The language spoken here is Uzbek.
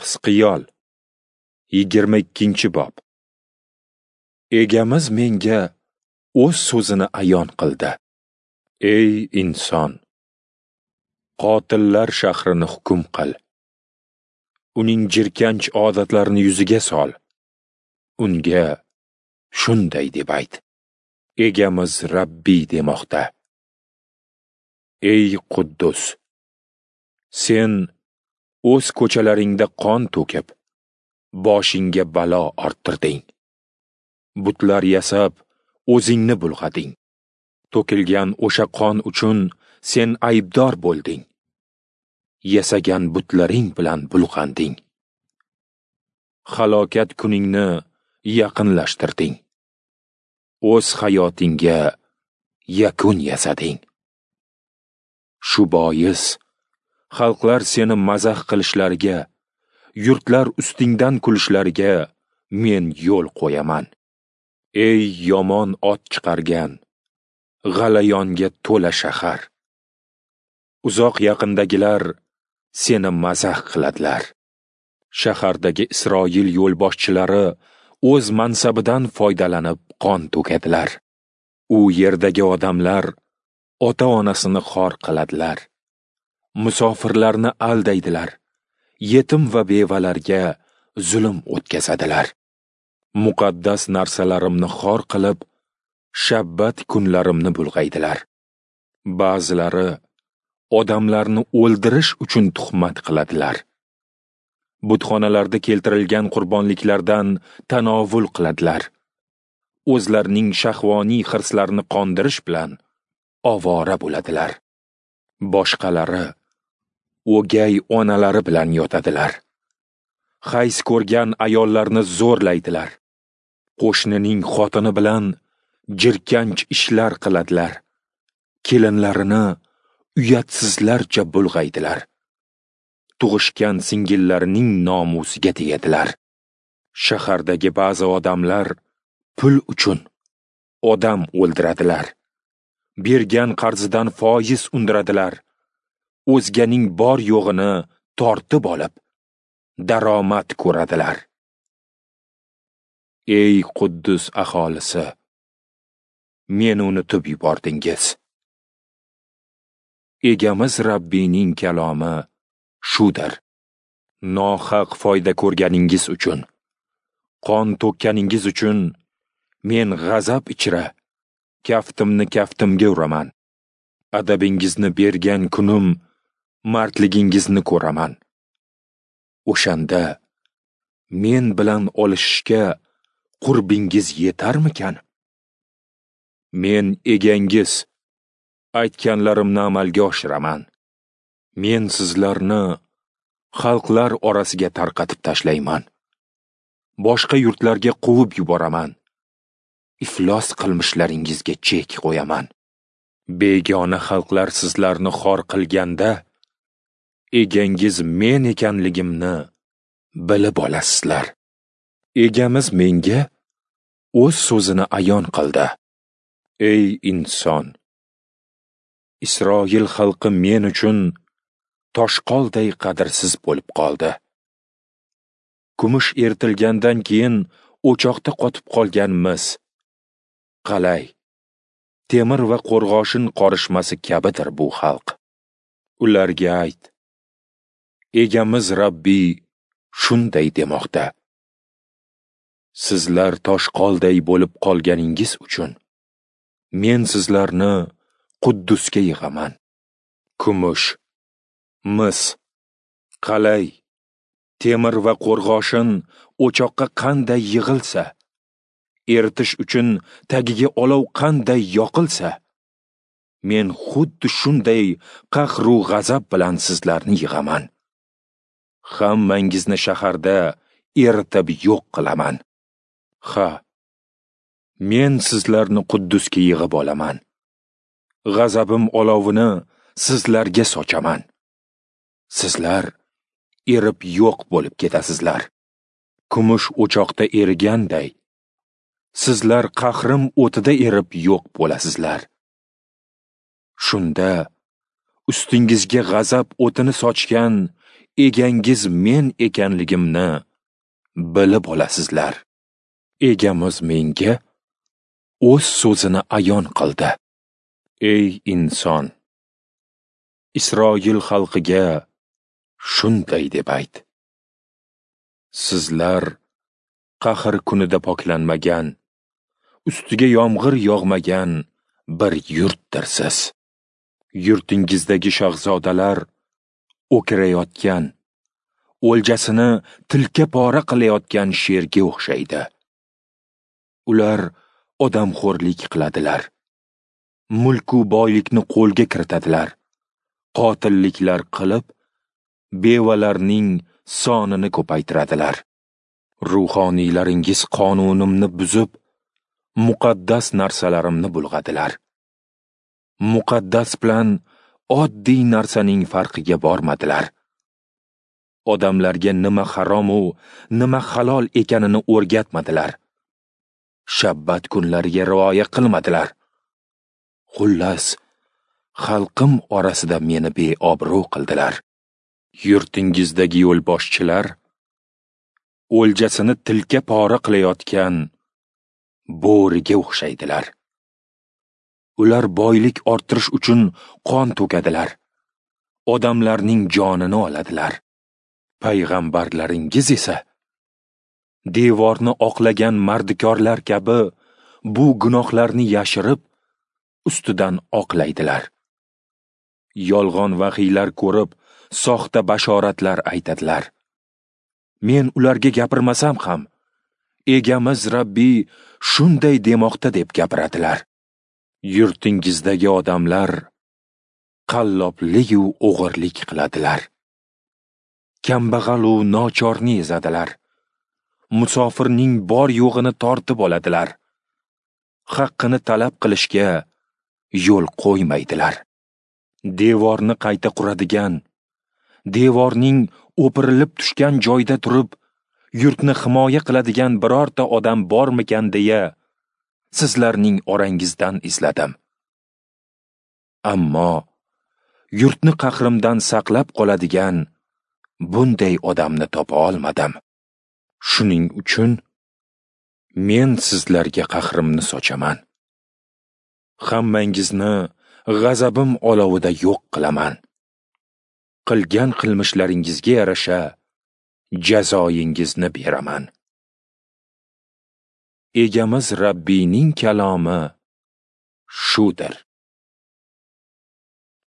Hizqiyol 22-bob. Egamiz menga o'z so'zini ayon qildi. Ey inson, qotillar shahrini hukm qil. Uning jirkanch odatlarini yuziga sol. Unga shunday deb ayt: Egamiz Rabbiy demoqda. Ey Quddus, sen o'z ko'chalaringda qon to'kib, boshingga balo orttirding. Butlar yasab, o'zingni bulg'ading. To'kilgan o'sha qon uchun sen aybdor bo'lding. Yasagan butlaring bilan bulg'anding. Halokat kuningni yaqinlashtirding. O'z hayotingga yakun yasading. Shu bois xalqlar seni mazax qilishlariga, yurtlar ustingdan kulishlariga men yo'l qo'yaman. Ey yomon ot chiqargan, g'alayonga to'la shahar! Uzoq yaqindagilar seni mazax qiladilar. Shahardagi Isroil yo'lboshchilari o'z mansabidan foydalanib qon to'kadilar. U yerdagi odamlar ota-onasini xor qiladilar. Musofirlarni aldaydilar. Yetim va bevalarga zulm o'tkazadilar. Muqaddas narsalarimni xor qilib, shabbat kunlarimni bulg'aydilar. Ba'zilari odamlarni o'ldirish uchun tuhmat qiladilar. Butxonalarda keltirilgan qurbonliklardan tanovul qiladilar. O'zlarining shahvoniy hirslarini qondirish bilan ovora bo'ladilar. Boshqalari o'gay onalari bilan yotadilar. Hayz ko'rgan ayollarni zo'rlaydilar. Qo'shnining xotini bilan jirkanch ishlar qiladilar. Kelinlarini uyatsizlarcha bulg'aydilar. Tug'ishgan singillarining nomusiga tegadilar. Shahardagi ba'zi odamlar pul uchun odam o'ldiradilar. Bergan qarzidan foiz undiradilar. O'zganing bor yo'g'ini tortib olib, daromad ko'radilar. Ey Quddus aholisi, meni unutib yubordingiz. Egamiz Rabbiyning kalomi shudir. Nohaq foyda ko'rganingiz uchun, qon to'kkaningiz uchun men g'azab ichra kaftimni kaftimga uraman. Adabingizni bergan kunim mardligingizni ko'raman. O'shanda men bilan olishishga qurbingiz yetarmikan? Men egangiz, aytganlarimni amalga oshiraman. Men sizlarni xalqlar orasiga tarqatib tashlayman. Boshqa yurtlarga quvib yuboraman. Iflos qilmishlaringizga chek qo'yaman. Begona xalqlar sizlarni xor qilganda, egangiz men ekanligimni bilib olasizlar. Egamiz menga o'z so'zini ayon qildi. Ey inson, Isroil xalqi men uchun toshqolday qadrsiz bo'lib qoldi. Kumush eritilgandan keyin o'choqda qotib qolgan mis, qalay, temir va qo'rg'oshin qorishmasi kabidir bu xalq. Ularga ayt: Egamiz Rabbiy shunday demoqda. Sizlar toshqolday bo'lib qolganingiz uchun men sizlarni Quddusga yig'aman. Kumush, mis, qalay, temir va qo'rg'oshin o'choqqa qanday yig'ilsa, eritish uchun tagiga olov qanday yoqilsa, men xuddi shunday qahru g'azab bilan sizlarni yig'aman. Hammangizni shaharda eritib yo'q qilaman. Ha, men sizlarni Quddusga yig'ib olaman. G'azabim olovini sizlarga sochaman. Sizlar erib yo'q bo'lib ketasizlar. Kumush o'choqda eriganday, sizlar qahrim o'tida erib yo'q bo'lasizlar. Shunda ustingizga g'azab o'tini sochgan Egangiz men ekanligimni bilib olasizlar. Egamiz menga o'z so'zini ayon qildi. Ey inson, Isroil xalqiga shunday deb ayt: Sizlar qahr kunida poklanmagan, ustiga yomg'ir yog'magan bir yurtdirsiz. Yurtingizdagi shahzodalar o'kirayotgan, o'ljasini tilka pora qilayotgan sherga o'xshaydi. Ular odamxo'rlik qiladilar, mulku boylikni qo'lga kiritadilar, qotilliklar qilib, bevalarning sonini ko'paytiradilar. Ruhoniylaringiz qonunimni buzib, muqaddas narsalarimni bulg'adilar. Muqaddas bilan oddiy narsaning farqiga bormadilar. Odamlarga nima harom u nima halol ekanini o'rgatmadilar. Shabbat kunlariga rioya qilmadilar. Xullas, xalqim orasida meni beobro' qildilar. Yurtingizdagi yo'lboshchilar o'ljasini tilka pora qilayotgan bo'riga o'xshaydilar. Ular boylik orttirish uchun qon to'kadilar, odamlarning jonini oladilar. Payg'ambarlaringiz esa devorni oqlagan mardikorlar kabi bu gunohlarni yashirib, ustidan oqlaydilar. Yolg'on vahiylar ko'rib, soxta bashoratlar aytadilar. Men ularga gapirmasam ham, Egamiz Rabbiy shunday demoqda deb gapiradilar. Yurtingizdagi odamlar qalloblik-u o'g'irlik qiladilar. Kambag'al-u nochorni ezadilar. Musofirning bor yo'g'ini tortib oladilar. Haqqini talab qilishga yo'l qo'ymaydilar. Devorni qayta quradigan, devorning o'pirilib tushgan joyda turib, yurtni himoya qiladigan birorta odam bormikan deya sizlarning orangizdan izladim. Ammo yurtni qahrimdan saqlab qoladigan bunday odamni topa olmadim. Shuning uchun men sizlarga qahrimni sochaman. Hammangizni g'azabim olovida yo'q qilaman. Qilgan qilmishlaringizga yarasha jazoyingizni beraman. Egamiz Rabbiyning kalomi shudir.